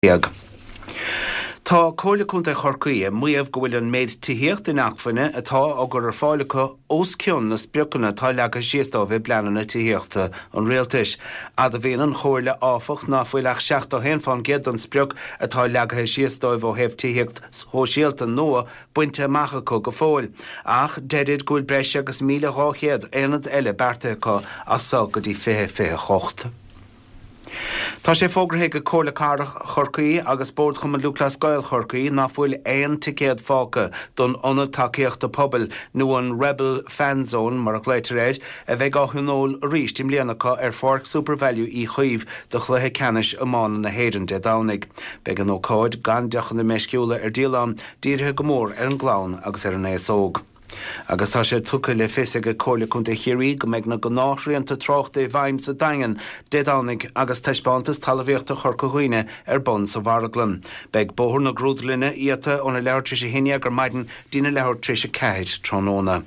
Tá Comhairle Contae Chorcaí ag maíomh go bhfuil an méid tithíochta inacmhainne atá á gcur ar fáil acu os cionn na spriocanna atá leagtha síos dóibh i bpleananna tithíochta an Rialtais. Admhaíonn an Chomhairle, áfach, ná fuil ach 71% den sprioc atá leagtha síos dóibh ó thaobh tithíocht shóisialta nua bainte amach acu go fóill, ach deirid go bhfuil breis agus 1,200 aonad eile beartaithe acu as so go dtí 2028. Tá sé fógraithe ag Comhairle Cathrach Chorcaí agus Bord Chumann Lúthchleas Gael Chorcaí ná fuil aon ticéad fágtha don Ionad Tacaíochta Pobail nó an Rebel Fan Zone mar a ghlaoitear air, a bheidh á thionól arís i mbliana acu ar Pháirc Supervalu Uí Chaoimh do chluiche ceannais iomána na hÉireann Dé Domhnaigh. Beidh an ócáid, gan deochanna meisciúla ar díol ann, dírithe go mór ar an gclann agus ar an aos óg. Agus tá sé tugtha le fios ag Comhairle Contae Chiarraí go mbeidh na gnáthshrianta tráchta i bhfeidhm sa Daingean Dé Domhnaigh agus Taispeántas Talmhaíochta Chorca Dhuibhne ar bun sa mharglann. Beidh Bóthar na Grúdlainne iata óna leathuair tar éis a haon dhéag ar maidin dtína leathuair tar éis a ceathair tráthnóna.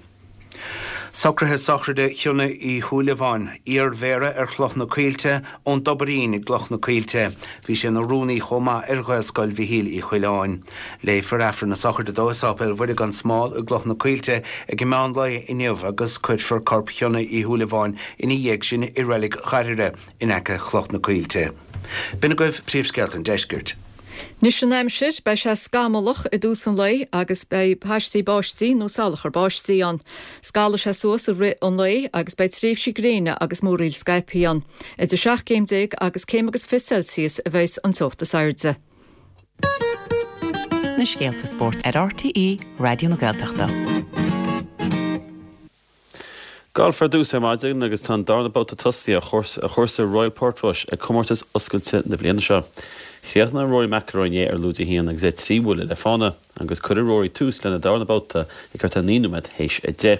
Socruithe sochraide Chionnaith Uí Shúilleabháin, iar-mhéara ar Chloch na Coillte, ón dTobairín i gCloch na Coillte. Bhí sé ina rúnaí chomh maith ar Ghaelscoil Mhichíl Uí Choileáin. Léifear Aifreann na sochraide dó i Sáipéal Mhuire gan Smál i gCloch na Coillte ag an meán lae inniu agus cuirfear corp Chionnaith Uí Shúilleabháin ina dhiaidh sin i Reilig Ghairire in aice Chloch na Coillte. B'in agaibh príomhscéalta an deiscirt. Anois an aimsir, beidh sé scamallach i dtús an lae agus beidh paistí báistí nó salachar báistí ann. Scalfaidh sé suas i rith an lae agus beidh tréimhsí gréine agus múraíl scaipthe ann. Idir 17 céim agus céim agus 20 Celsius a bheas an teocht is airde. Na scéalta spóirt ar RTÉ Raidió na Gaeltachta. Galf ar dtús ar maidin agus tá an darna babhta tosaithe ar chúrsa Royal Portrush ag Comórtas Oscailte na bliana seo. Chríochnaigh Rory McIlroy inné ar lúide a haon agus é trí bhuille le fána agus cuirfidh Rory tús lena darna babhta ag thart ar 9 nóiméad théis 10.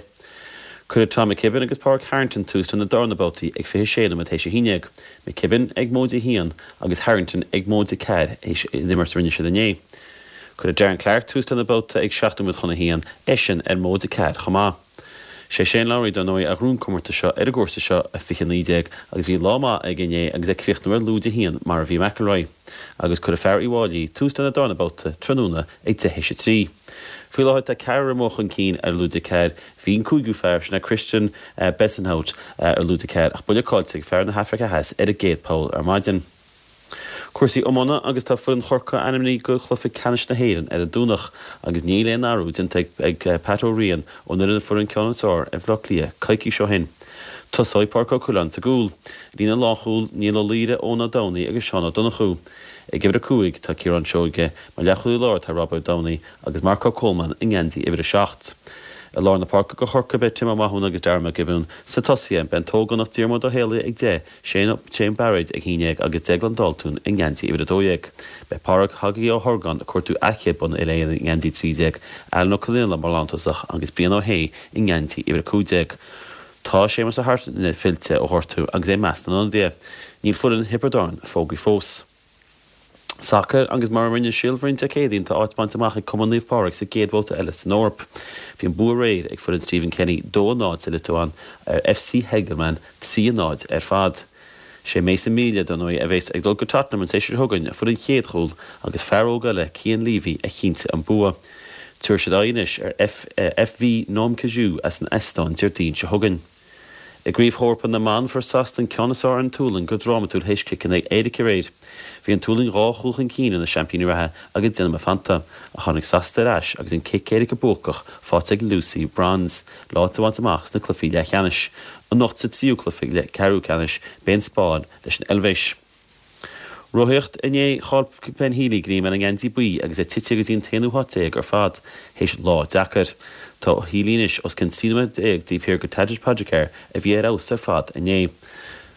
Cuirfidh Tom McKibbin agus Pádraig Harrington tús lena darna babhtaí ag 26 nóiméad théis 11, McKibbin ag móide a haon agus Harrington ag móide ceathair théis an imirt a rinne siad inné. Cuirfidh Darren Clarke tús lena babhta ag 7 nóiméad chun a haon, eisean ar móide ceathair chomh maith. Sé Shane Lowry, dar ndóigh, a ghnóthaigh an comórtas seo ar an gcúrsa seo i 2019 agus bhí lá maith aige inné agus é ag críochnú ar lúide a haon mar a bhí McIlroy. Agus cuirfidh fear Uíbh Fhailí tús lena darna babhta tráthnóna ag deich théis a trí. Faoi láthair tá ceathrar amuigh chun cinn ar lúide ceathair. Bhí an cúigiú fear, sin é Christiaan Bezuidenhout, ar lúide ceathair ach buille caillte ag fear na hAfraice Theas ar an gcéad poll ar maidin. Cúrsaí iomána agus tá foireann Chorcaí ainmnithe do chluiche ceannais na hÉireann ar an Domhnach agus níl aon athrú déanta ag Pat Ó Riain ón fhoireann a fuair an ceann is fearr ar Bhaile Átha Cliath coicís ó shin. Tosóidh Pádraic Ó Coileáin sa gcúl. Líne lánchúil, Niall Ó Laoire, Eoin Ó Domhnaigh agus Seán Ó Donnchú. Ag uimhir 5 tá Ciarán Seoige, mar leathchúlaí láir tá Robbie Ó Domhnaigh agus Marco Coleman i ngeansaí uimhir a 7. I lár na páirce do Chorcaigh beidh Tim Ó Mathúna agus Darragh McGibbon sna tosaithe, beidh an t-ógánach Diarmuid Ó Héalaí ag 10, Shane Bairéad ag 11 agus Declan Dalton i ngeansaí uimhir 12. Beidh Pádraig Haggy Ó hOrgáin ag cuartú a chéad bua uile-Éireann i ngeansaí 13, Alan Ó Conaola mar lántosach agus Brian Ó hAodha i ngeansaí uimhir 15. Tá Séamus Ó hAirtnéide fillte ó ghortú agus é i measc na n-ionadaithe. Níl foireann Thiobraid Árann fógraithe fós. Sacar agus mar a rinne Síol Bhroin Dé Céadaoin tá áit bainte amach ag Cumann Naomh Pádraig sa gcéad bhabhta eile san Eoraip. Bhí an bua aréir ag foireann Stephen Kenny 2-0 sa Liotuáin ar FC Hegelmann 3-0 ar fad. Sé Mason Melia, dar ndóigh, a bheas ag dul go Tottenham an séasúr seo chugainn, a fuair an chéad chúl agus fear óg eile, Cian Leavy, a chinntigh an bua. Tabharfaidh siad aghaidh anois ar FV Nõmme Kalju as an Eastóin Déardaoin seo chugainn. I gCraobh Eorpach na mBan, fuair Sasana an ceann is fearr ar an tSualainn go drámatúil théis ciceanna éirice aréir. Bhí an tSualainn dhá chúl chun cinn ar na seaimpíní reatha ag déanamh a feannta, ach tháinig Sasana ar ais agus an cic éirice buacach faighte ag Lucy Bronze le áit a bhaint amach sna cluichí leathcheannais. Anocht sa tríú cluiche ceathrú ceannais, beidh an Spáinn leis an Eilvéis. Rothaíocht, Inné, chaill Ben Healy greim ar an ngeansaí buí agus é tite go dtí an t-aonú háit déag ar fad théis lá deacair. Tá Healy anois os cionn 13 nóiméad taobh thiar de Tadej Pogacar a bhí ar fheabhas ar fad inné.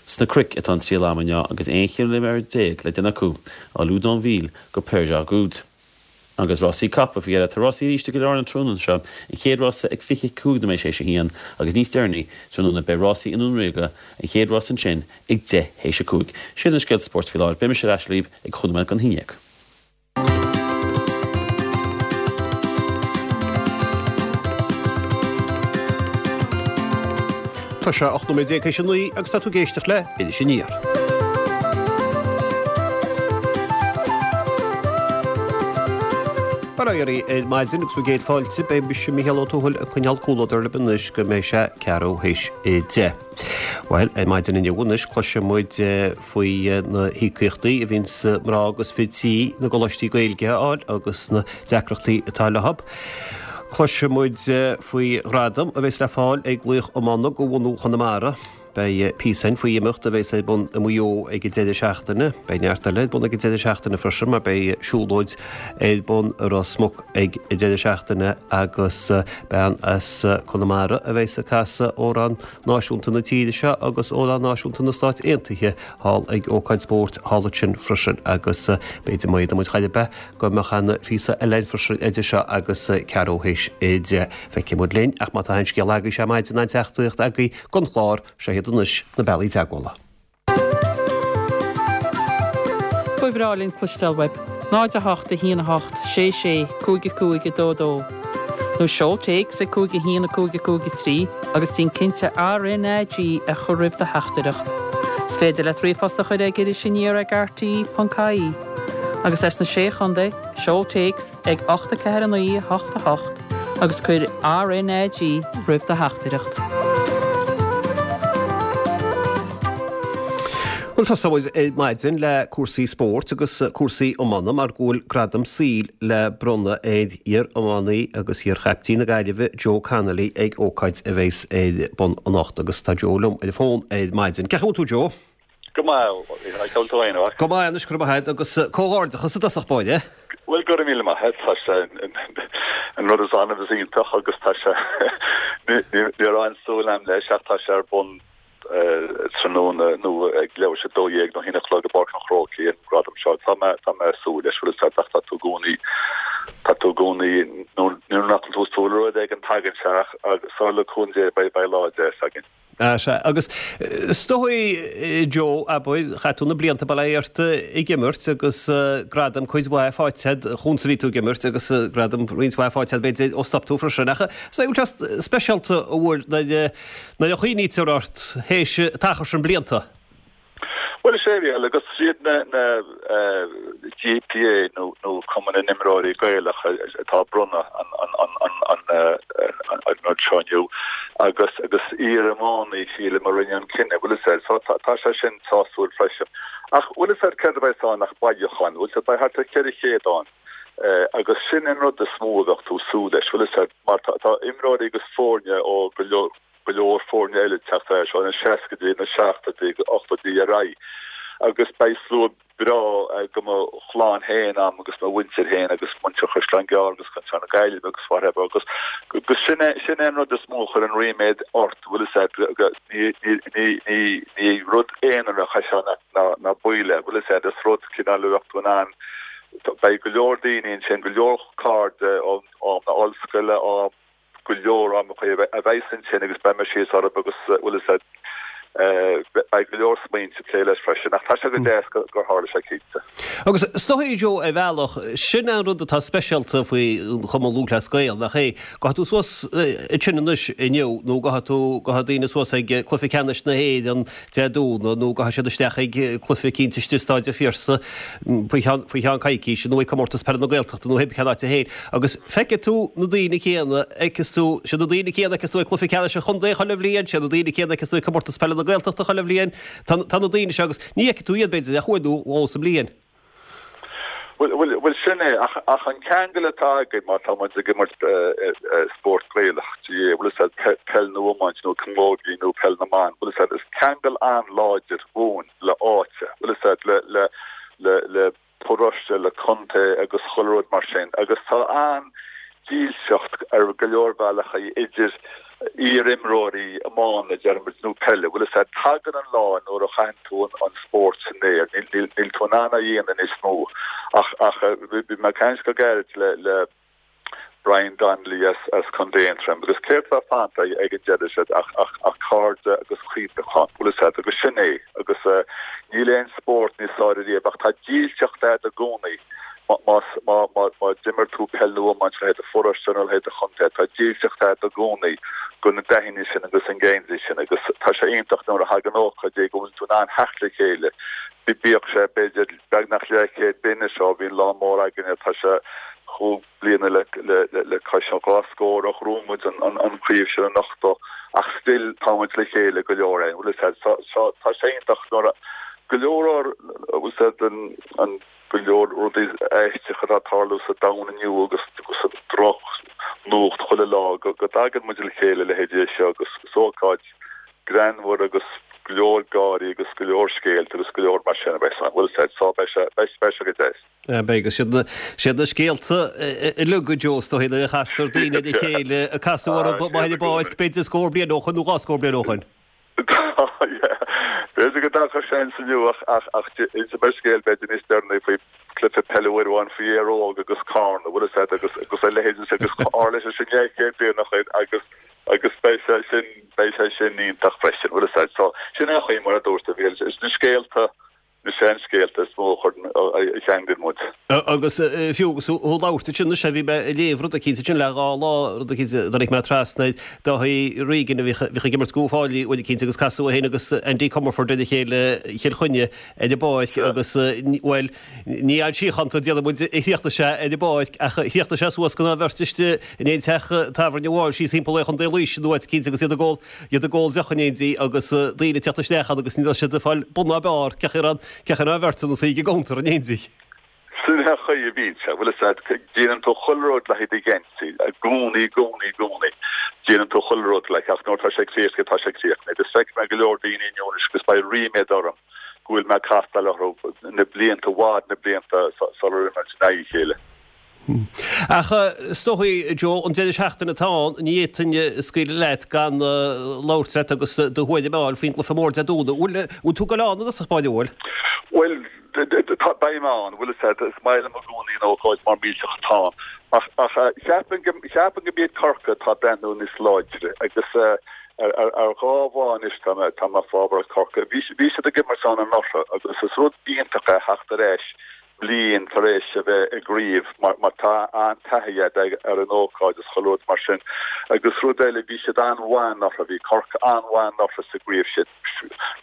Sna cnoic atá an triail ama inniu agus 11 chiliméadar le déanamh acu, ó Loudenvielle go Peyragudes. Agus rásaí capall faoi dheireadh. Tá rásaí arís i gCill Airne an tráthnóna seo, an chéad rása ag 25 nóiméad théis a haon agus níos deireanaí tráthnóna beidh rásaí i nDún Ríoga, an chéad rása ansin ag 10 théis a 5. Siad na scéalta spóirt faoi láthair. Beidh mise ar ais libh ag chúig nóiméad don haon dhéag. Tá sé 18 nóiméad théis a 9 agus tá tú ag éisteacht le Iris Aniar. Bail ó Dhia oraibh ar maidin agus bhur gcéad fáilte. Beidh mise, Mícheál Ó Tuathail, ag coinneáil comhluadar libh anois go mbeidh sé ceathrú théis 10. Bhuel, ar maidin inniu anois cloisfidh muid faoi na híocaíochtaí a bhíonns mná agus fir tí na gcoláistí Gaeilge a fháil agus na deacrachtaí atá leo. Cloisfidh muid faoi ghradam a bheas le fáil ag laoch iomána de bhunadh Chonamara. Beidh píosa againn faoi imeacht a bheas ar bun i Maigh Eo ag an deireadh seachtaine. Beidh neart eile ar bun ag an deireadh seachtaine freisin mar beidh siúlóid ar bun i Ros Muc ag an deireadh seachtaine agus bean as Conamara a bheas ag casadh amhrán náisiúnta na tíre seo agus amhrán náisiúnta na Stáit Aontaithe thall ag ócáid spóirt thall ansin freisin agus b'fhéidir má fhéadann muid chor ar bith go mbeadh ana phíosa eile againn freisin idir seo agus ceathrú théis 10. Feicfidh muid linn ach má tá aon scéal agaibhse ar maidin aon teachtaireacht agaibh don chlár, seo iad anois na bealaí teagmhála. Ba bhreá linn cloisteáil uaibh. 0 8 1 8 6 6 5 5 2 2 Nó seol téacs ag 5 1 5 5 3 agus déan cinnte RnaG a chur roimh do theachtaireacht. Is féidir leat ríomhphost a chur ag irisaniar ag rte.ie. Agus as na Sé Chontae, seol téacs ag 8 4 9 8 8 agus cuir RnaG roimh do theachtaireacht. Bhuel, tosóidh muid ar maidin le cúrsaí spóirt agus cúrsaí iomána mar go bhfuil gradam saoil le bronnadh ar iar-iománaí agus iar-chaiptín na Gaillimhe Joe Connolly ag ócáid a bheas ar bun anocht agus tá Joe liom ar an bhfón ar maidin. Cén chaoi a bhfuil tú Joe? Go maith, a bhfuil tú féin, a mhac? Go maith anois, go raibh maith agat, agus comhghairdeachas i dtosach báire. Bhuel, go raibh míle maith agat, tá sé an rud is annamh is iontach agus tá sé, ní raibh aon súil agam leis ach tá sé ar bun tráthnóna nó ag leathuair tar éis 12 nó 1 a chlog i bPáirc an Chrócaigh an gradam seo. Tá mé, tá mé ag súil leis, bhfuil a fhios agat ach tá tú i gcónaí, tá tú i gcónaí, nuair nach bhfuil tú ag súil le rud éigin tagann sé ach agus le cúnamh Dé beidh, beidh lá deas againn. Sea, agus is dóigh, Joe, abair, chaith tú na blianta, bail ó Dhia ort, ag imirt agus gradam cuid mhaith faighte agat, chúns a bhí tú ag imirt agus gradam roinnt mhaith faighte agat b'fhéidir ó stop tú freisin. Ach is dóigh go bhfuil sé speisialta an bhfuil nuair a chuimhnítear ort théis an t-achar sin blianta. Bhuel, is é a bhí agus is iad na GPA nó nó Cumann na nImreoirí Gaelach atá ag bronnadh an an rud seo inniu agus agus iar-iománaí sílim a rinne an cinneadh, bhfuil a fhios agat. So tá tá sé sin sásúil freisin. Ach bhfuil a fhios agat céard a bheas ann ach bailiúchán, bhfuil a fhios agat, beidh thart ar 400 ann agus sin an rud is mó a bheadh tú ag súil leis, bhfuil a fhios agat, mar tá tá imreoirí agus foirne ó go leor go leor foirne eile ag teacht ar ais ó na seascaidí, na seachtóidí, ochtóidí ar aghaidh agus beidh slua breá de mo chlann féin a'm agus mo mhuintir féin agus muintir Chaisleán Gearr agus Chaisleán na Gaillimhe agus whatever agus agus sin é sin é an rud is mó a chuireann ríméad ort bhfuil a fhios agat ní ní ní ní ní rud aonarach é seo ná ná ná baol é bhfuil a fhios agat is rud cineál a bheadh tú in ann beidh go leor daoine ansin go leor cairde ó am na ollscoile ó go leor am a bheas ansin agus beidh mé síos orthu agus bhfuil a fhios agat beidh go leor smaointe ag plé leis freisin ach tá sé go deas gur tharla sé cinnte. Agus is dóigh Joe ar bhealach, sin an rud atá speisialta faoi Chumann Lúthchleas Gael, nach é? Gabhfaidh tú suas ansin anois inniu nó gabhfaidh tú, gabhfaidh daoine suas ag Cluiche Ceannais na hÉireann Dé Domhnaigh nó gabhfaidh siad isteach ag cluiche eicínt istigh i Staid an Phiarsaigh faoi cheann, faoi cheann coicíse nó ag Comórtas Peile na Gaeltachta nó pé cén áit féin agus feicfidh tú na daoine céanna, fheiceas tú, siad na daoine céanna a fheiceas tú ag cluiche ceannais an chontae chuile bhliain, siad na daoine céanna a fheiceas tú ag Comórtas Peile na Gaeltachta chuile bhliain. Tá, tá na daoine seo agus ní fheicfidh tú iad b'fhéidir ach uair nó dhó sa mbliain. Bhuel, bhuel, bhuel sin é, ach, ach an ceangal atá againn má tá muid ag imirt spórt Gaelach, GAA, bhfuil a fhios agat, peil nó iomáint nó camógaí nó peil na mban, bhfuil a fhios agat, is ceangal an-láidir dhúinn le áit, bhfuil a fhios agat, le, le, le, le paróiste, le contae agus chuile rud mar sin agus tá an-dílseacht ar go leor bealachaí idir iar-imreoirí iomána, deir muid, nó peile, bhfuil a fhios agat, tagann an lá nuair a chaitheann tú an spórt san aer, níl tú in ann é a dhéanamh níos mó. Ach, ach, bhí mé ag caint go gairid le, le Brian Donnelly as, as Contae Aontroim agus céard atá fanta ag an deireadh siad ach, ach, ach cairde agus cuimhneachán, bhfuil a fhios agat, agus sin é, agus níl aon spórt níos fearr ariamh ach tá dílseacht agat i gcónaí. Má d'imir tú peil nó iomáint le haghaidh do pharóiste nó le haghaidh do chontae, tá dílseacht agat i gcónaí go na daoine sin agus an geansaí sin agus tá sé iontach nuair a thagann ócáid é go bhfuil tú in ann theacht le chéile. Bíodh sé b'fhéidir beagnach leathchéad bliain anois ó bhí an lá mór againne, tá sé. 5 bliana le cois an 2 scór ó ghnóthaigh muid an chraobh sin in 80 ach still tá muid le chéile go leor againn, bhfuil a fhios a'd. So tá sé iontach nuair a, go leor ár, bhfuil a fhios a'd, an, go leor rudaí aisteacha atá ag tarlú sa domhan inniu agus an droch nuacht chuile lá go dtagann muid le chéile leithéidí seo agus is ócáid greannmhar agus go leor gáirí agus go leor scéalta agus go leor mar sin a bheas ann. Bhfuil a fhios a'd, so beidh sé, beidh sé go deas. Beidh, agus siad na, siad na scéalta uilig a Joe, is dóigh, nuair a chastar daoine ar a chéile, a casadh orthu ar an bpáirc, b'fhéidir scór bliain ó shoin nó 2 scór bliain ó shoin. B'fhéidir go dtagann seans inniu ach ach inseoidh mé scéal b'fhéidir níos deireanaí faoi chluiche peile uair amháin faoi Éire Óg agus Carna, bhfuil a fhios a'd, agus agus a leithéid de agus tharla sé sin leathchéad bliain ó shin agus agus beidh sé sin beidh sé sin iontach freisin, bhfuil a fhios a'd. So sin é an chaoi mar a dúirt tú, bhí na scéalta na seanscéalta is mó a chuireann, a cheanglann muid. Agus fiú agus tú ag labhairt ansin anois, bhí mé ag léamh rud eicínt ansin le 2 lá, rud eicínt a dtáinig mé trasna air, Dáithí Regan a bhíodh ag imirt do Uíbh Fhailí uair eicínt agus casadh é féin agus Andy Comerford ar a chéile Chill Chainnigh ar an bpáirc agus, bhuel, ní fhad síochánta déarfaidh muid a chríochnaigh sé ar an bpáirc ach chríochnaigh sé suas don dá bheirt istigh in aon teach tábhairne amháin síos thimpeall ar Chontae Laoise nó áit eicínt agus iad ag ól iad ag ól deoch in éindí agus daoine ag teacht isteach ann agus ní raibh siad ag fáil bun ná barr cé acu an bheirt ina suí ag an gcuntar in éindí. Sin é an chaoi a bhíonn sé, bhfuil a fhios a'd, déanann tú chuile rud le haghaidh do gheansaí, i gcónaí, i gcónaí, i gcónaí, déanann tú chuile rud like, ach nuair atá sé críochnaithe, tá sé críochnaithe. Agus feicfidh mé go leor daoine inniu anois agus beidh ríméad orm go bhfuil mé ag castáil orthu na blianta, i bhfad na blianta sular imir muid in aghaidh a chéile. Ach is dóigh, Joe, an deireadh seachtaine atá ann, ní fhéadfainn scaoileadh leat gan labhairt leat agus do thuairim a fháil faoin gcluiche mór Dé Domhnaigh. Bhfuil, bhfuil tú ag dul ann i dtosach báire, bhfuil? Bhuel, beidh mé ann, bhfuil a fhios a'd, is maith liom i gcónaí an ócáid mar millteach atá ann. Ach, ach cheapfainn go, cheapfainn go mb'iad Corcaigh atá ag breathnú níos láidre agus ar, ar, ar dhá bhfáth anois tá mé, tá mé fábharach Corcaigh. Bhí, bhí siad ag imirt ann anuraidh agus is rud iontach é theacht ar ais bliain tar éis a bheith i gcraobh mar tá an-taithí agat ar an ócáid is chuile rud mar sin. Agus rud eile, bhí siad an-mhaith anuraidh, bhí Corcaigh an-mhaith anuraidh sa gcraobh sin.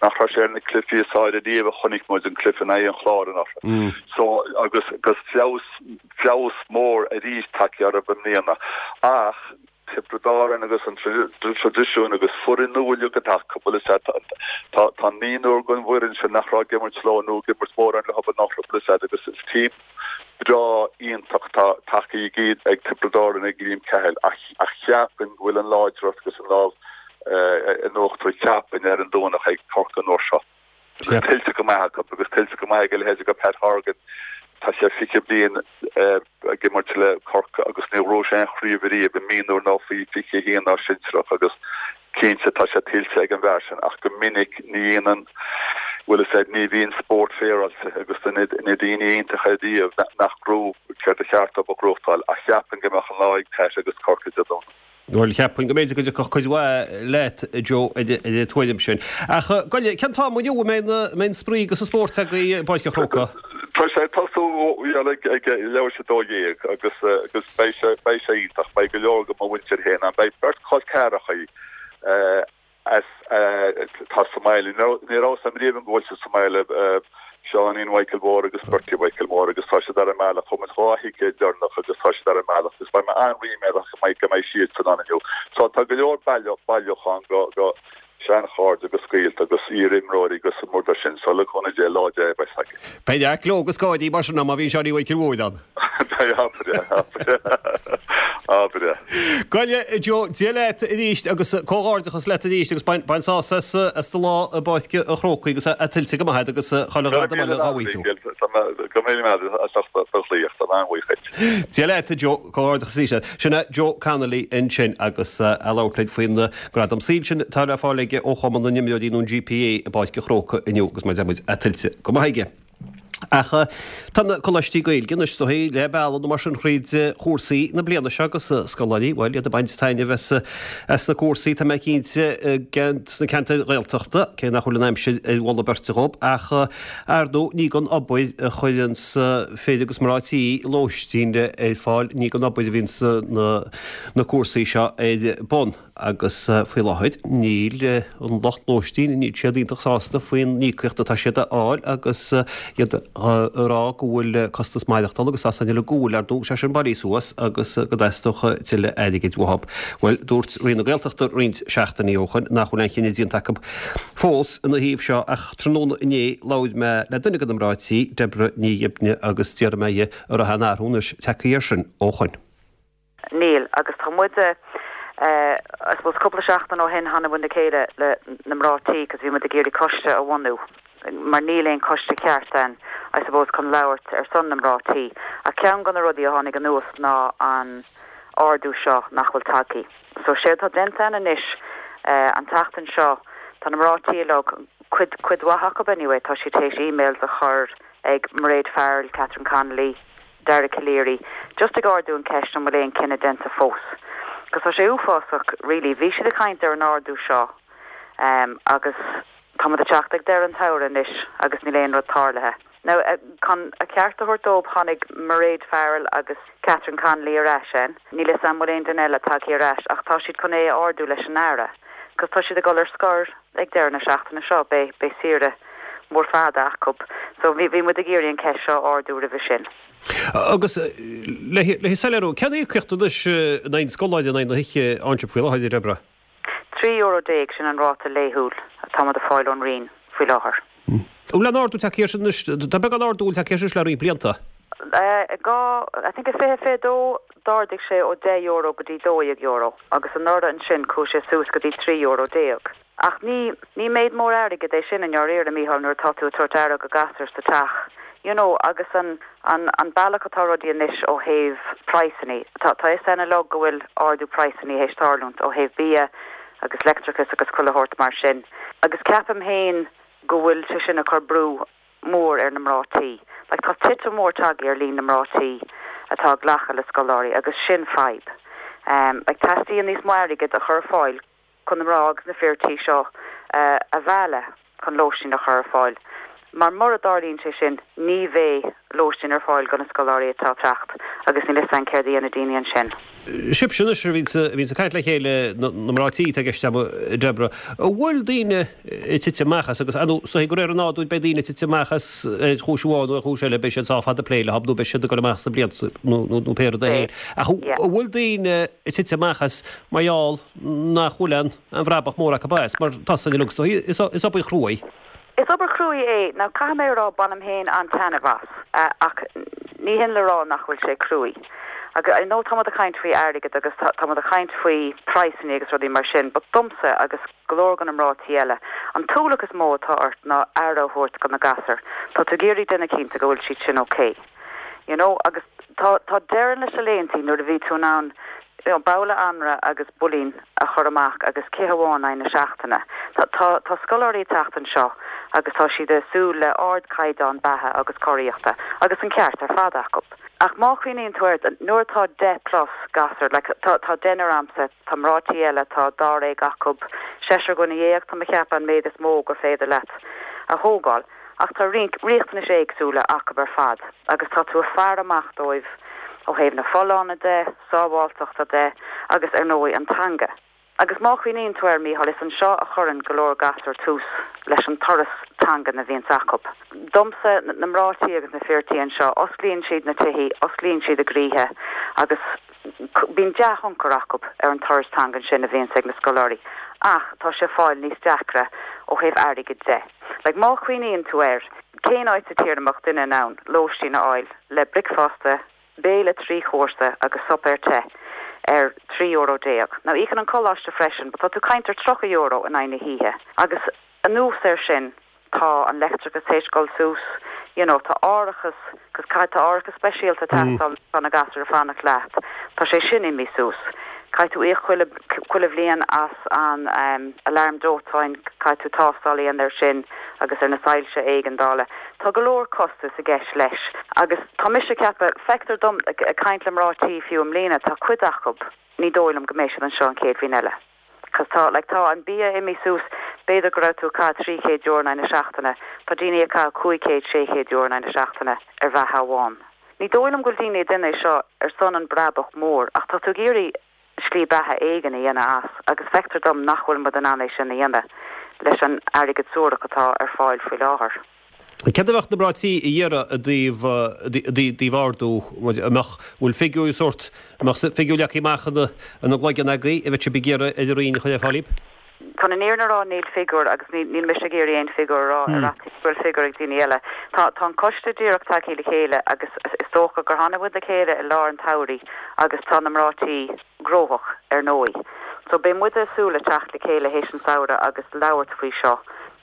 Nach raibh sé ar na cluichí is fearr ariamh a chonaic muid, an cluiche in aghaidh an Chláir anuraidh. So, agus, agus feabhas, feabhas mór arís tagtha orthu i mbliana. Ach. Tiobraid Árann agus an traidisiún agus foireann nua uilig atá acu, bhfuil a fhios a'd, tá tá naonúr den bhfoireann sin nach raibh ag imirt leo nó ag imirt mórán leo anuraidh, bhfuil a fhios a'd, agus is team breá iontach atá tagtha ag ag Tiobraid Árann ag Liam Cahill ach ach cheapfainn go bhfuil an láidreacht agus an lámh in uachtar cheapfainn ar an Domhnach ag Corcaigh an uair seo. Agus tuillte go maith acu agus tuillte go maith ag a leithéid de Pat Horgan. Tá sé 20 bliain ag imirt le Corcaigh agus níor ghnóthaigh sé aon chraobh ariamh i mionúir ná faoi 21 ná sinsearach agus cinnte tá sé tuillte ag an bhfear sin ach go minic ní dhéanann, bhfuil a fhios a'd, ní bhíonn spórt féaráilte agus na daoine iontacha ariamh nach ngnóthaíonn céard ba cheart dóibh a ghnóthachtáil ach cheapfainn go mbeadh an lá ag Pat agus Corcaigh Dé Domhnaigh. Bhuel, cheapfainn go mb'fhéidir go dtiocfadh cuid mhaith leat, Joe, ar an tuairim sin. Ach, gabh i leith, cén t-am inniu a mbeidh an spraoi agus an spórt agaibh i bPáirc an Chrócaigh? Tá sé ag tosú bhuel ag leathuair tar éis 12 agus agus beidh sé beidh sé iontach. Beidh go leor de mo mhuintir féin ann. Beidh beirt chol ceathrachaí as atá sa mbaile. Ní raibh a fhios a'm riamh go bhfuil siad sa mbaile, Seáinín Mhichael Mhóir agus Bertie Mhichael Mhóir agus tá siad ar an mbealach. Fuair muid 2 thicéad deireanach agus tá siad ar an mbealach agus beidh mé an-ríméadach go mbeidh go mbeidh siadsan ann inniu. So tá go leor bailiúchán de seanchairde agus gaolta agus iar-imreoirí agus an rud sin. So le cúnamh Dé, lá deas a bheas againn. Beidh neart gleo agus gáirí mar sin ann má bhíonn Seáinín Mhichael Mhóir ann. Beidh, abair é, abair é, abair é. Gabh i leith, Joe, Dia leat arís agus comhghairdeachas leat arís agus bain, bain sásamh as, as do lá i bPáirc an Chrócaigh agus é tuillte go maith agat agus chuile ghradam eile dhá bhfaighidh tú. Go raibh míle maith agat as ucht do ghlaoch, tá mé an-bhuíoch dhuit. Dia leat, a Joe, comhghairdeachas arís leat. Sin é Joe Connolly ansin agus é ag labhairt linn faoin gradam saoil sin atá le fáil aige ó Chumann na nImreoirí nó an GPA i bPáirc an Chrócaigh inniu agus mar a deir muid, é tuillte go maith aige. Ach tá na coláistí Gaeilge anois is dóigh leath bealaigh nó mar sin thríd chúrsaí na bliana seo agus scoláirí, bhuel, iad ag baint taitneamh as as na cúrsaí, tá mé cinnte, sna ceantair Ghaeltachta, cé nach bhfuil an aimsir ar mholadh beirte dhób, ach ar ndóigh ní gan obair a chuireanns fir agus mná tí lóistín ar fáil, ní gan obair a bhíonns na na cúrsaí seo ar bun. agus faoi láthair níl an lucht lóistín, níl siad iontach sásta faoin íocaíocht atá siad a fháil agus iad. Ag rá go bhfuil costas maireachtála agus tá a fhios againn uilig go bhfuil, ar ndóigh, sé sin bailithe suas agus go dteastódh tuilleadh airgid uathu. Bhuel, dúirt Roinn na Gaeltachta roinnt seachtainí ó shoin nach bhfuil aon chinneadh déanta acu fós ina thaobh seo ach tráthnóna inné labhair mé le duine de na mná tí, Deborah Ní Ghibne agus d'fhiafraigh mé dhi an raibh aon athrú anois tagtha air sin ó shoin. Níl, agus tá muide, I suppose cúpla seachtain ó shin tháinig muid le chéile le na mná tí cos bhí muid ag iarraidh coiste a bhunú mar níl aon choiste ceart ann I suppose chun labhairt ar son na mná tí. Ach ceann de na rudaí a tháinig anuas ná an ardú seo nach bhfuil tagthaí. So séard atá déanta ann anois an tseachtain seo tá na mná tí uilig, cuid, cuid mhaith acu anyway, tá siad théis emails a chur ag Mairéad Farrell, Catherine Connolly, Dara Calleary, just ag ardú an ceist an bhfuil aon cinneadh déanta fós. Cos tá sé uafásach really. Bhí siad ag caint ar an ardú seo agus tá muid ag teacht ag deireadh an tsamhraidh anois agus níl aon rud tarlaithe. Now chun a ceart a thabhairt dóibh tháinig Mairéad Farrell agus Catherine Connolly ar ais ann. Níl fhios a'm bhfuil aon duine eile tagtha ar ais ach tá siad chun é a ardú leis an Aire. Cos tá siad ag dul ar scor ag deireadh na seachtaine seo, beidh, beidh saoire mór fada acu. So bhí, bhí muid ag iarraidh an ceist seo a ardú roimhe sin. Agus le, le soiléiriú, cén íocaíocht anois in aghaidh an scoláire in aghaidh na hoíche a fhaigheann sibh faoi láthair, a Deborah? €13 euro, sin an ráta laethúil atá muid ag fáil ón Roinn faoi láthair. An bhfuil aon ardú tagtha air sin anois? Tá beagán ardú tagtha air sin le roinnt blianta. I, I think i 2022 d'ardaigh sé ó €10 go dtí €12 agus anuraidh ansin chuaigh sé suas go dtí €13 euro. Ach ní, ní méid mór airgid é sin i ndáiríre, Mícheál, nuair atá tú ag tabhairt aire go gasúir sa teach, you know, agus an, an, an bealach atá rudaí anois ó thaobh praghsannaí, tá, tá fhios a'inn uilig go bhfuil ardú praghsannaí théis tarlúint ó thaobh bia agus leictreachas agus chuile shórt mar sin. Agus ceapaim féin go bhfuil sé sin ag cur brú mór ar na mná tí. Like tá titim mhór tagtha ar líon na mná tí atá ag glacadh le scoláirí agus sin fadhb. Like teastaíonn níos mó airgid a chur ar fáil chun na mná agus na fir tí seo a mhealladh chun lóistín a chur ar fáil. Mar mura dtarlaíonn sé sin ní bheidh lóistín ar fáil do na scoláirí atá ag teacht agus níl fhios a'inn céard a dhéanfaidh daoine ansin. Sibhse anois a bhíonns ag caint le chéile, na mná tí atá i gceist agam, a Deborah, an bhfuil daoine ag titim amach as agus, ar ndóigh, de réir an nádúir beidh daoine ag titim amach as ar chúis amháin nó ar chúis eile, beidh siad sách fada ag plé leo nó beidh siad ag dul amach sna blianta nó pé rud é féin. Ach an bhfuil daoine ag titim amach as mar gheall nach bhfuil aon bhrabach mór acu as, mar tá san uilig, so is obair chruaidh. Is obair chruaidh é. Now caithfidh mé a rá bainim féin an-taitneamh as, ach ní hin le rá nach bhfuil sé cruaidh. Agus I know tá muid ag caint faoi airgead agus tá muid ag caint faoi praghsanna agus rudaí mar sin, but domsa agus go leor de na mná tí eile, an t-ualach is mó atá ort ná aire a thabhairt do na gasúir. Tá tú ag iarraidh déanamh cinnte go bhfuil siad sin okay. You know, agus tá, tá deireadh leis na laethantaí nuair a bhí tú in ann, you know, babhla anraith agus builín a chur amach agus cith amháin in aghaidh na seachtaine. Tá, tá, tá scoláirí ag teacht anseo agus tá siad ag súil le ardchaighdeán beatha agus cóiríochta agus an ceart ar fad acu. Ach má chuimhníonn tú air, nuair atá 10 plus gasúr, like, tá, tá deichniúr a'msa, tá mná tí eile, tá dáréag acu, seisear dhuine dhéag, tá mé ag ceapadh an méid is mó gur féidir leat a thógáil. Ach tá roinnt riachtanais éagsúla acu ar fad agus tá tú ag faire amach dóibh ó thaobh na folláine de, sábháilteachta de agus ar ndóigh an teanga. Agus má chuimhníonn tú air, Mícheál, is anseo a chuireann go leor gasúr tús leis an turas teangan a bhíonns acu. Domsa, na mná tí agus na fir tí anseo, osclaíonn siad na tithí, osclaíonn siad a gcroíthe agus bíonn dea-thionchar acu ar an turas teangan sin a bhíonns ag na scoláirí. Ach tá sé ag fáil níos deacra ó thaobh airgid de. Like, má chuimhníonn tú air, cén áit sa tír a mbeadh duine in ann lóistín a fháil le bricfeasta, béile 3 chúrsa agus suipéar te ar €13 euro? Now, íocann an coláiste freisin, but tá tú ag caint ar €30 in aghaidh na hoíche. Agus anuas air sin, tá an leictreachas théis dul suas, you know, tá árachas, 'cause caithfidh, tá árachas speisialta ag teastáil tá na gasúir ag fanacht leat, tá sé sin imithe suas. Caithfidh tú íoc chuile, chuile bhliain as an alarm dóiteáin, caithfidh tú tástáil a dhéanamh air sin agus ar na soilse éigeandála. Tá go leor costas i gceist leis agus tá mise ag ceapadh, feictear dom, ag caint le mná tí fiú i mbliana, tá cuid acu, ní dóigh liom go mbeidh siad anseo an chéad bhliain eile. Cos tá, like, tá an bia imithe suas, b'fhéidir go raibh tú ag caitheamh €300 in aghaidh na seachtaine, tá daoine ag caitheamh 500, €600 in aghaidh na seachtaine ar bheatha amháin. Ní dóigh liom go bhfuil daoine ag déanamh é seo ar son an brabach mór ach tá tú ag iarraidh slí beatha éigin a dhéanamh as agus feictear dom nach bhfuil muid in ann é sin a dhéanamh leis an airgead suarach atá ar fáil faoi láthair. Céard a bheadh na mná tí a iarraidh i dtaobh i dtaobh ardú, an mbeadh, bhfuil figiúir sórt, an mbeadh figiúir leagtha amach ina ina gcloigeann agaibh a bheadh sibh ag iarraidh ar an Roinn a chur ar fáil daoibh? Chun an fhírinne a rá níl figiúr agus ní níl mise ag iarraidh aon figiúr a rá ar fhaitíos go bhfuil figiúr ag daoine eile. Tá tá an coiste díreach tagtha le chéile agus is dócha gur tháinig muid le chéile i lár an tsamhraidh agus tá na mná tí gnóthach, ar ndóigh. So beidh muide ag súil le teacht le chéile théis an samhradh agus labhairt faoi seo,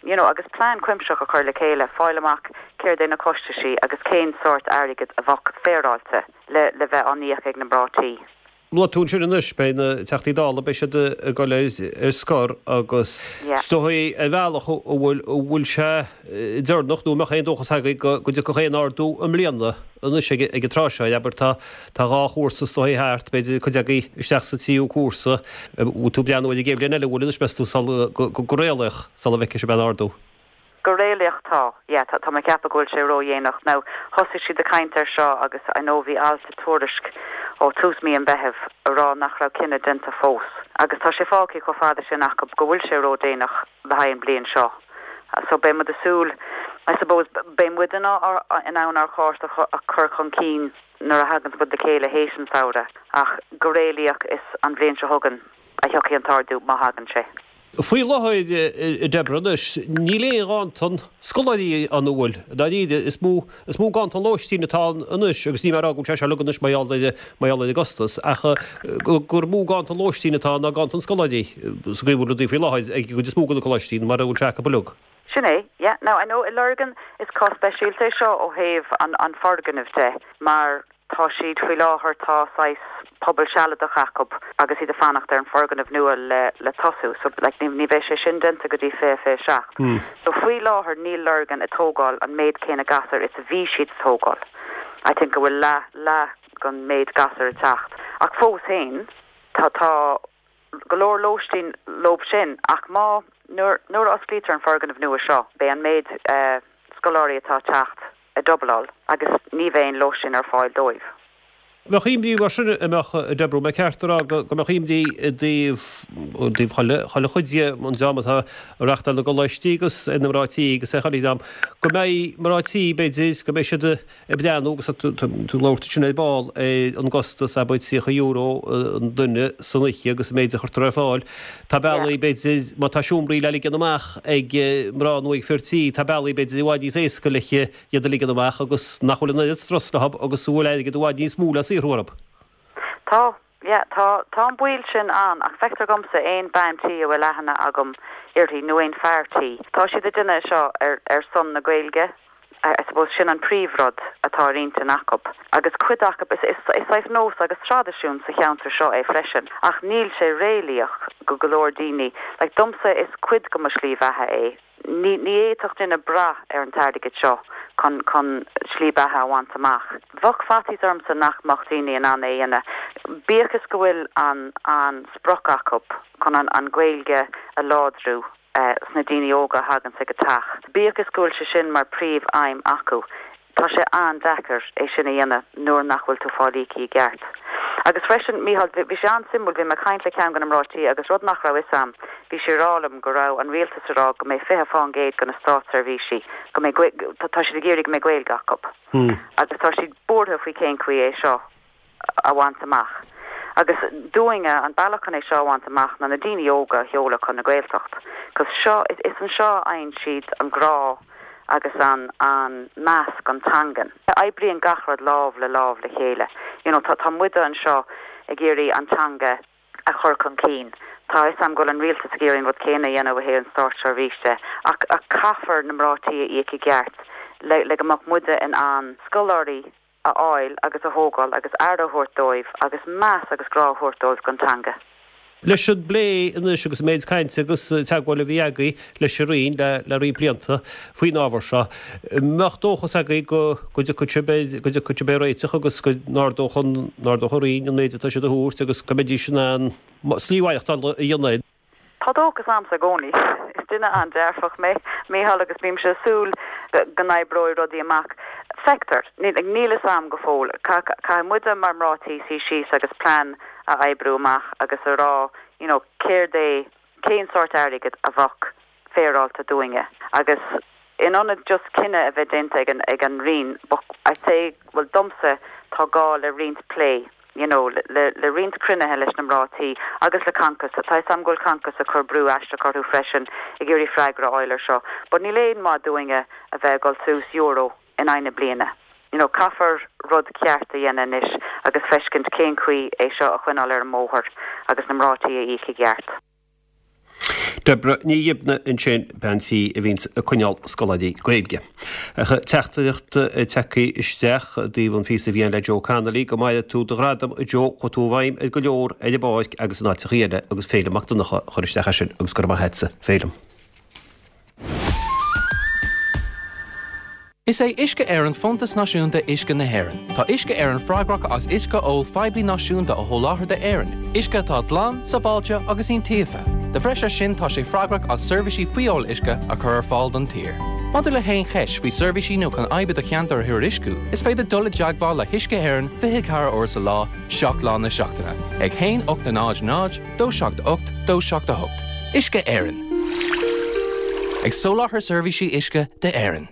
you know, agus plean cuimsitheach a chur le chéile, fáil amach céard é na costaisí agus cén sórt airgid a bheadh féaráilte le le bheith á n-íoc ag na mná tí. Luaigh tú ansin anois, beidh na Teachtaí Dála, beidh siad ag dul ar ar scor agus is dóigh ar bhealach a bhfuil, a bhfuil sé deireanach nó an mbeadh aon dóchas agaibh go go dtiocfadh aon ardú i mbliana anois ag an tráth seo, abair tá Tá dhá chúrsa is dóigh thart, b'fhéidir cuid agaibh isteach sa tríú cúrsa. Bhfuil tú ag breathnú ar an gcéad bhliain eile, bhfuil anois meas tú sula, go réalaíoch, sula bhfeicfidh sibh aon ardú? Go réalaíoch tá, yeah, tá, tá mé ag ceapadh go bhfuil sé ródhéanach. Now, thosaigh siad ag caint air seo agus I know bhí alt i Tuairisc ó tús mí an Mheithimh ag rá nach raibh cinneadh déanta fós. Agus tá sé fágtha chomh fada sin acu go bhfuil sé ródhéanach le haghaidh an bhliain seo. So beidh muid ag súil, I suppose, beidh muid in ann ár chás a chur chun cinn nuair a thaganns muid le chéile théis an samhradh, ach go réalaíoch is an bhliain seo chugainn a thiocfaidh an t-ardú, má thagann sé. Faoi láthair, a Deborah, anois, níl aon ghanntan scoláirí ann an bhfuil? Dáiríre, is mó, is mó ganntan lóistín atá ann anois, agus níl mé ag rá go bhfuil sé seo uilig anois mar gheall ar, mar gheall ar an gcostas, ach gur mó ganntan lóistín atá ann ná ganntan scoláirí sa gcaoi a bhfuil rudaí faoi láthair ag an gcuid is mó de na coláistí, mar a bhfuil sé acu uilig. Sin é, yeah. Now, I know i Lurgan, is cás speisialta é seo ó thaobh an, an foirgnimh de, mar tá siad faoi láthair, tá saghas puball sealadach acu agus iad ag fanacht ar an foirgneamh nua le, le tosú. So, like, ní, ní bheidh sé sin déanta go dtí 2027. So, faoi láthair níl Lurgan ag tógáil an méid céanna gasúr is a bhí siad ag tógáil. I think go bhfuil leath, leath den méid gasúr ag teacht. Ach fós féin, tá, tá, go leor lóistín leob sin ach má, nuair, nuair a osclaítear an foirgneamh nua seo, beidh an méid scoláirí atá ag teacht ag dubláil agus ní bheidh aon lóistín ar fáil dóibh. Bheadh imní mar sin an mbeadh, a Deborah, an mbeadh ceart a rá go mbeadh imní i dtaobh, i dtaobh chuile, chuile chuid de an dream atá ag reachtáil na gcoláistí agus ar na mná tí agus ar chuile dhream, go mbeidh mná tí, b'fhéidir, go mbeidh siad ag breathnú agus tá tú ag labhairt ansin ar ball ar an gcostas, abair €30 an duine san oíche agus an méid a chuirtear ar fáil. Tá bealaí, b'fhéidir, má tá seomraí le ligean amach ag mná nó ag fir tí, tá bealaí, b'fhéidir, i bhfad níos éasca le iad a ligean amach agus nach bhfuil an oiread strus leo agus a bhfuil airgead i bhfad níos mó le saothrú orthu. Tá, yeah, tá, tá an baol sin ann ach feictear dhomsa aon bean tí a bhfuil aithne agam uirthi nó aon fear tí, tá siad ag déanamh é seo ar, ar son na Gaeilge, I, I suppose sin an príomhrud atá ar intinn acu. Agus cuid acu, is, is, is saghas nós agus traidisiún sa cheantar seo é freisin ach níl sé réalaíoch go go leor daoine, like domsa is cuid de mo shlí bheatha é. Ní fhéadfadh duine brath ar an t-airgead seo chun chun slí beatha a bhaint amach. Bheadh faitíos ormsa nach mbeadh daoine in ann é a dhéanamh. Bíodh is go bhfuil an an sprioc acu chun an an Ghaeilge a láidriú sna daoine óga a thaganns ag an teach, bíodh is go bhfuil sé sin mar príomh aidhm acu, Tá sé an-deacair é sin a dhéanamh nuair nach bhfuil tú fáil íoctha i gceart. Agus freisin, Mícheál, bhí sé an-suimiúil, bhí mé ag caint le ceann de na mná tí agus rud nach raibh fhios a'm, bhí sí ag rá liom go raibh an rialtas ag rá go mbeidh 20 fán gcéad de na státseirbhísigh, go mbeidh, tá siad ag iarraidh go mbeidh Gaeilge acu. Agus tá siad buartha faoi cén chaoi é seo a bhaint amach. Agus dúinne, an bealach chun é seo a bhaint amach ná na daoine óga a sheoladh chun na Gaeltacht. Cos seo, is anseo a fhaigheann siad an grá agus an an meas don teangain. Oibríonn gach rud lámh le lámh le chéile. You know, tá tá muide anseo ag iarraidh an teanga a chur chun cinn. Tá a fhios a'm go bhfuil an rialtas ag iarraidh an rud céanna a dhéanamh ó thaobh an státseirbhís de, ach ach caithfear na mná tí a íoc i gceart le le go mbeadh muide in ann scoláirí a fháil agus a thógáil agus aire a thabhairt dóibh agus meas agus grá a thabhairt dóibh don teanga. Leis an bplé anois agus an méid cainte agus teagmháil a bhí agaibh leis an Roinn le roinnt blianta faoin ábhar seo, mbeadh dóchas agaibh go dtiocfadh sibh go dtiocfadh sibh ar réiteach agus go n-ardódh an n-ardódh an Roinn an méid atá siad a thabhairt agus go mbeidís in ann slí mhaireachtála a dhéanamh. Tá dóchas a'msa i gcónaí. Is duine an-dearfach mé, Mícheál, agus bímse ag súil go n-oibreoidh rudaí amach. Feictear. Níl fhios a'm go fóill. Caithfidh muide mar mná tí suí síos agus plean a oibriú amach agus a rá you know céard é, cén sórt airgid a bheadh féaráilte dúinne agus. in ionad just cinneadh a bheith déanta ag an ag an Roinn, but I'd say, bhuel domsa, tá gá le roinnt plé, you know, le le roinnt cruinnithe leis na mná tí agus le Concos. Tá 'fhios a'm go bhfuil Concos ag cur brú aisteach orthu freisin ag iarraidh freagra a fháil ar seo. But níl aon mhaith dúinne a bheith ag dul suas euro in aghaidh na bliana. You know, caithfear rud ceart a dhéanamh anois agus feiscint cén chaoi é seo a choinneáil ar an mbóthar agus na mná tí a íoc i gceart. Deborah Ní Ghibne ansin, bean tí a bhíonns ag coinneáil scoláirí Gaeilge. Ach teachtaireacht tagtha isteach i dtaobh an phíosa a bhí ann le Joe Connolly, go maire tú do ghradam a Joe, chuaigh tú i bhfeidhm ar go leor ar an bpáirc agus in áiteachaí eile agus Féilim Mac Donncha a chur isteach é sin agus go raibh maith agatsa Féilim. Is é Uisce Éireann Fóntas Náisiúnta Uisce na hÉireann. Tá Uisce Éireann freagrach as uisce óil phoiblí náisiúnta a sholáthar d'Éirinn, uisce atá glan, sábháilte agus iontaofa. De bhreis air sin, tá sé freagrach as seirbhísí fuíoll uisce a chur ar fáil don tír. Maidir le haon cheist faoi seirbhísí nó chun fadhb i do cheantar a thuairisciú, is féidir dul i dteagmháil le hUisce Éireann 24 uair sa lá, 7 lá na seachtaine, ag 1 8 0 0 2 7 8 2 7 8. Uisce Éireann. Ag soláthar seirbhísí uisce d'Éirinn.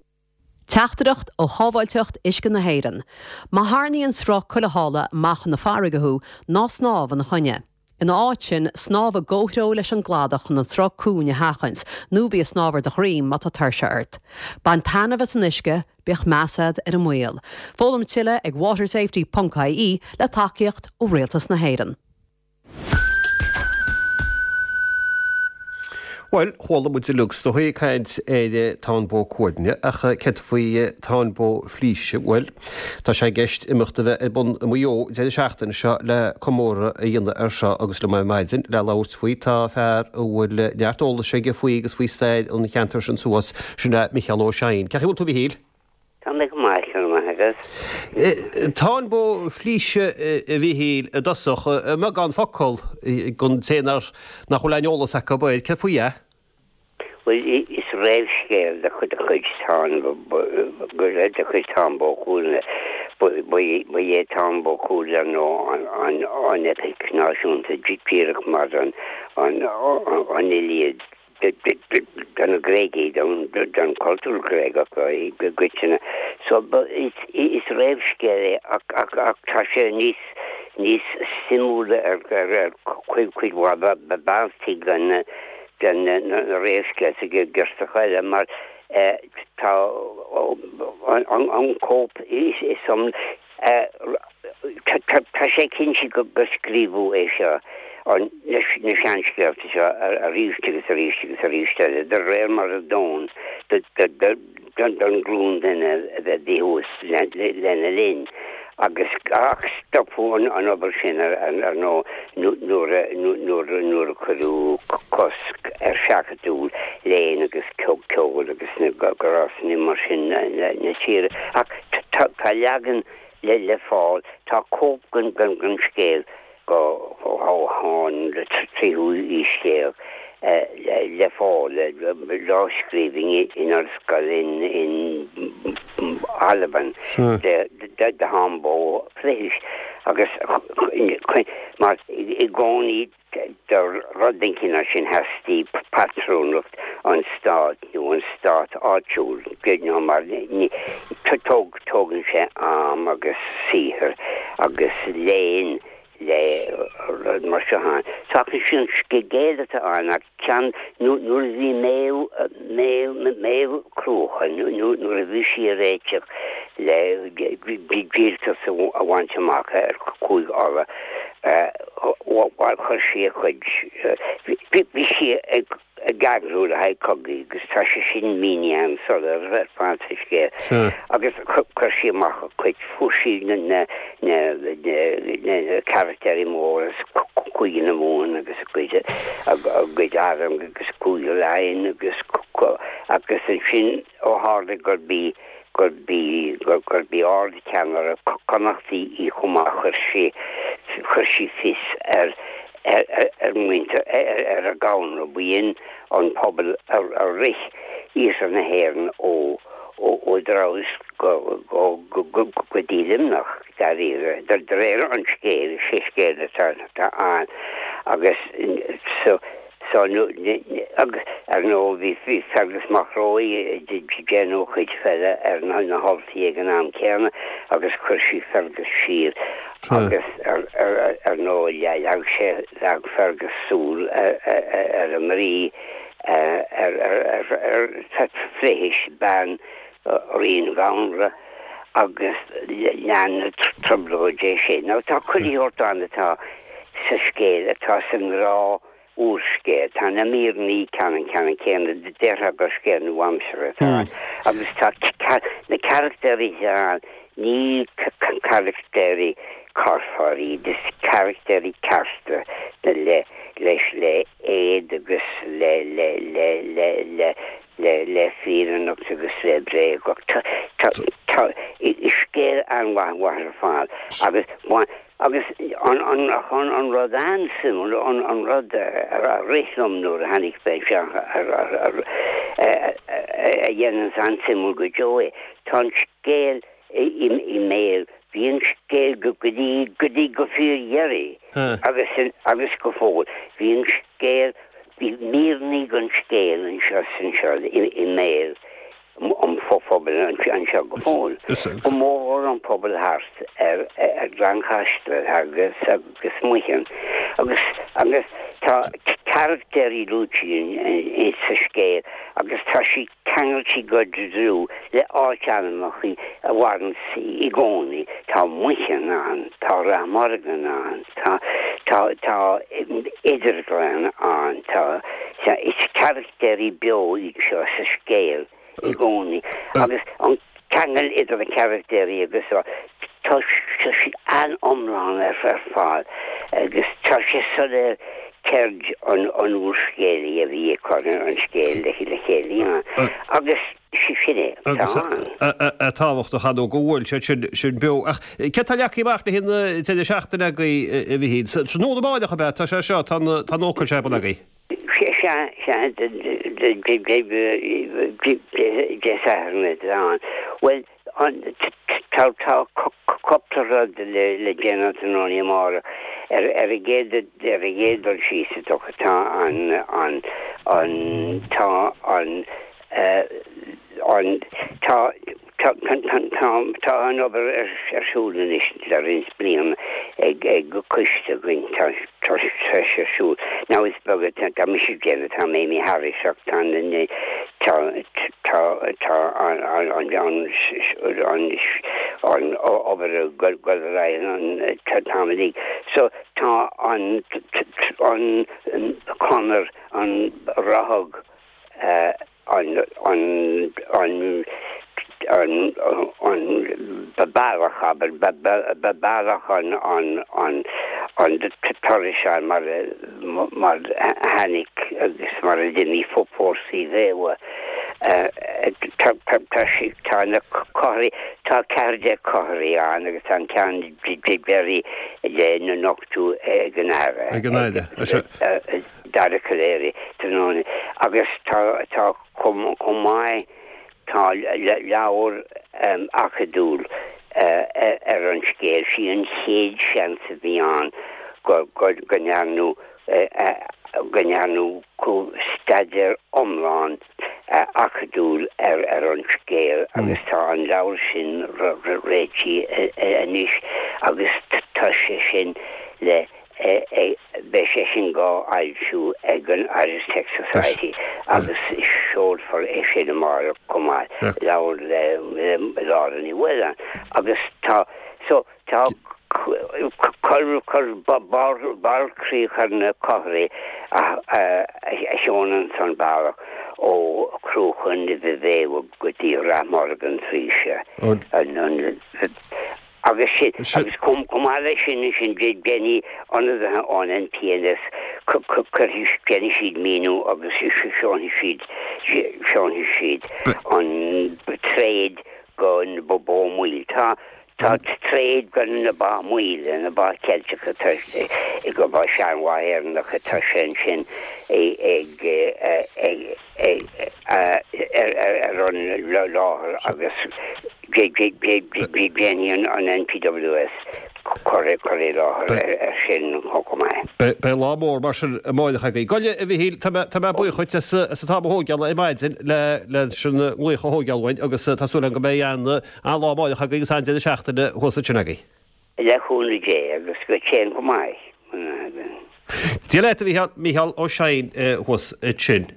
Teachtaireacht ó Shábháilteacht Uisce na hÉireann. Má tharraingíonn sruth cuilitheála amach chun na farraige thú, ná snámh ina choinne. Ina áit sin, snámh i gcomhthreo leis an gcladach chun an sruth cúng a sheachaint, nó bí ag snámh ar do dhroim má tá tuirse ort. Bain taitneamh as an uisce, bíodh meas agat ar an mbaol. Foghlaim tuilleadh ag watersafety ponc ie le tacaíocht ó Rialtas na hÉireann. Bhuel, chuala muid uilig is dóigh ag caint ar Táin Bó Cuailgne, ach céard faoi Táin Bó Flíse? Bhuel, tá sé i gceist imeacht a bheith ar bun i Maigh Eo deireadh seachtaine seo le comóradh a dhéanamh air seo agus liom ar maidin le labhairt faoi tá fear a bhfuil neart eolais aige faoi agus faoi stair an cheantair sin suas, sin é Micheál Ó Seighin. Cén chaoi a bhfuil tú, a Mhichíl? Tá mé go maith, go raibh maith agat. Táin Bó Flíse, a Mhichíl, i dtosach, i mbeagán focal don té nach bhfuil aon eolas acu air, céard faoi é? Bhuel, is réamhscéal de chuid Táin de chuid Táin Bó Cuailgne. Ba é Táin Bó Cuailgne ar ndóigh an eipic náisiúnta díreach mar an an Iliad. do na Gréagaigh, don chultúr Gréagach i gcoitinne. So is réamhscéal é ach tá sé níos níos suimiúla ar cuid mhaith bealtaí den den na réamhscéalta girseacha eile mar tá an cóip is Tá sé cinnte gur scríobhadh é seo, na seanscéalta seo, arís agus arís agus arís eile, de réir mar a d'fhóin don ghlúin duine a bhí thuas lena linn. Agus ach stopadh an obair sin, ar ndóigh, nuair a cuireadh cosc ar sheachadadh léinn agus ceoil agus na gnásanna mar sin na tíre. Ach Tá leagan le fáil, tá cóip den scéal ón tríú haois déag le fáil, lámhscríbhinn in ollscoil in Albain de Tháin Bó Flidhais agus mar i gcónaí Do rud den chineál sin theastaigh patrúnacht an stáit nó an stát áitiúil, you mar tógann sé am agus saothar agus léann le rud mar seo ann. So ach is an scéal atá ann ach ceann nuair a bhí Méabh, Méabh, Méabh Cruacha, nuair a bhí sí ag réiteach le díoltas a bhaint amach ar Chúige Uladh, Bhuel, chuir sí a cuid, bhí sí ag eagrú le haghaidh cogaidh agus tá sé sin mínithe an-soiléir ar fad sa scéal. Agus chuir sí amach a cuid, fuair sí na carachtéirí móra as Cúige na Mumhan agus a gcuid, a gcuid arm agus Cúige Laighean agus agus ansin ó tharla gurb í gurb í gurb í ardcheannaire Connachta í chomh maith chuir sí chuir sí fios ar ar ar muintir ar ar an gConradh b'in an pobal a a rith iarthar na hÉireann ó ó ó Dhamhros go go go go go dtí Luimneach dáiríre de de réir an scéil sé scéal atá atá ann agus so. So agus ar ndóigh bhí bhí Fergus Mac Róich ag déanamh a chuid peile ar na hUltaigh ag an am céanna agus chuir sí Fergus siar agus ar ar ndóigh leag sé leag Fergus súil ar ar an rí ar ar ar ar Flithiis bean Rí an Ghabhanra agus lean na trioblóidí é sin. Now tá chuile shórt ann atá sa scéal atá sa ngnáth úrscéal. Tá na míreanna ceannann ceannann céanna, déarfá gur scéal nua-aimseartha atá ann. Agus tá na carachtéirí atá ann, ní carachtéirí curfá iad, is carachtéirí cearta le leis le éad agus le le le le le le le fírinneacht agus le bréagacht. Tá tá tá is scéal an-mhaith mhaith ar fad agus agus an an an an rud an-suimiúil an an rud a rith liom nuair a tháinig mé isteach ar ar ar a dhéananns an-suimiúil go deo é, tá an scéal i i i mbéal, bhí an scéal go go dtí go dtí go fíordheiridh agus agus go fóill bhí an scéal Bhí míreanna den scéal anseo is anseo i mbéal an phobail anseo go fóill. Go mórmhór an pobal thart ar Ghleann Chaisle agus agus Muicheann. Agus agus tá carachtéirí luaite sa scéal agus tá siad ceangailte go dlúth le áitainmneacha a mhaireanns i gcónaí. Tá Muicheann ann, tá Rath Morgan ann, tá, tá, tá Idirghleann ann, tá, tá, is carachtéirí beo iad seo sa scéal i gcónaí agus an ceangal idir na carachtéirí agus tá, tá siad an-iomlán ar fad agus tá sé soiléir ceird an úrscéalaí a bhí ag cur an scéil le chéile agus sin é atá ann. Agus tábhachtach ar ndóigh go bhfuil siad sin sin beo. Ach céard atá leagtha amach le haghaidh an deireadh seachtaine agaibh, a Mhichíl? Tráthnóna amárach ab ea? Tá sé seo, tá an ócáid seo ar bun agaibh. Sea, sea, Dé Sathairn atá ann. Bhuel, Tá cúpla rud le déanamh tráthnóna amárach. Ar an gcéad ar an gcéad dul síos is dócha tá an an an tá an an tá tá tá tá an obair ar siúl anois le roinnt bliana ag ag coiste againn tá tá sé ar siúl. Now is beag atá mise ag déanamh tá Mamie Harris ach tá na Tá tá tá an an an an obair ag dul ar aghaidh an t-am uilig. So tá an an conair an rathag an an an an an bealach abair bealach an an an an turais mar mar a tháinig agus mar a d'imigh fórsaí Mhéabha. Tá tá na conairí, tá 14 conairí ann agus tá an ceann deiridh le nochtadh ag an Aire. Ag an Aire. Dara Calleary tráthnóna agus tá tá chomh maith Tá leabhar acadúil ar an scéal. Sí an chéad seans a bhí ann go ndearnadh go ndearnadh staidéar iomlán acadúil ar an scéal agus tá an leabhar sin réitithe anois agus tá sé sin le Beidh sé sin dhá fhoilsiú ag an Irish Text Society agus seolfar é sin amárach chomh maith, leabhar le Lára Ní Mhaoláin. Agus tá, so, tá cur, cur barr críoch ar na conairí a sheolanns an bealach ó Chruachan Nimhe Mhéabha go dtí Rath Morgan Thraoise. Agus sin, agus chomh maith leis sin ansin déanfaidh ionadaithe ón NPNS, cuirfidh, déanfaidh siad míniú agus seolfaidh siad, seolfaidh siad an tréad go na Bó Maoil. Tá, tá tréad go na Ba Maoile, na Ba Ceilteacha, tá, go ba seanbha Éireannacha, tá sé ansin ag, ag, ar an láthair agus déanfaidh an NPWS. Cur i láthair ar sin chomh maith. Beidh lá mór mar sin amáireach agaibh. Gabh i leith, a Mhichíl, tá mé buíoch dhuit as an t-am a thógáil ar maidin leis an nglaoch a thógáil uainn agus tá súil agam go mbeidh an-lá amáireach agaibh agus an-deireadh seachtaine thuas ansin agaibh. Le cúnamh Dé agus go téann go maith. Dia leat, a Mhichíl, Mícheál Ó Seighin thuas ansin.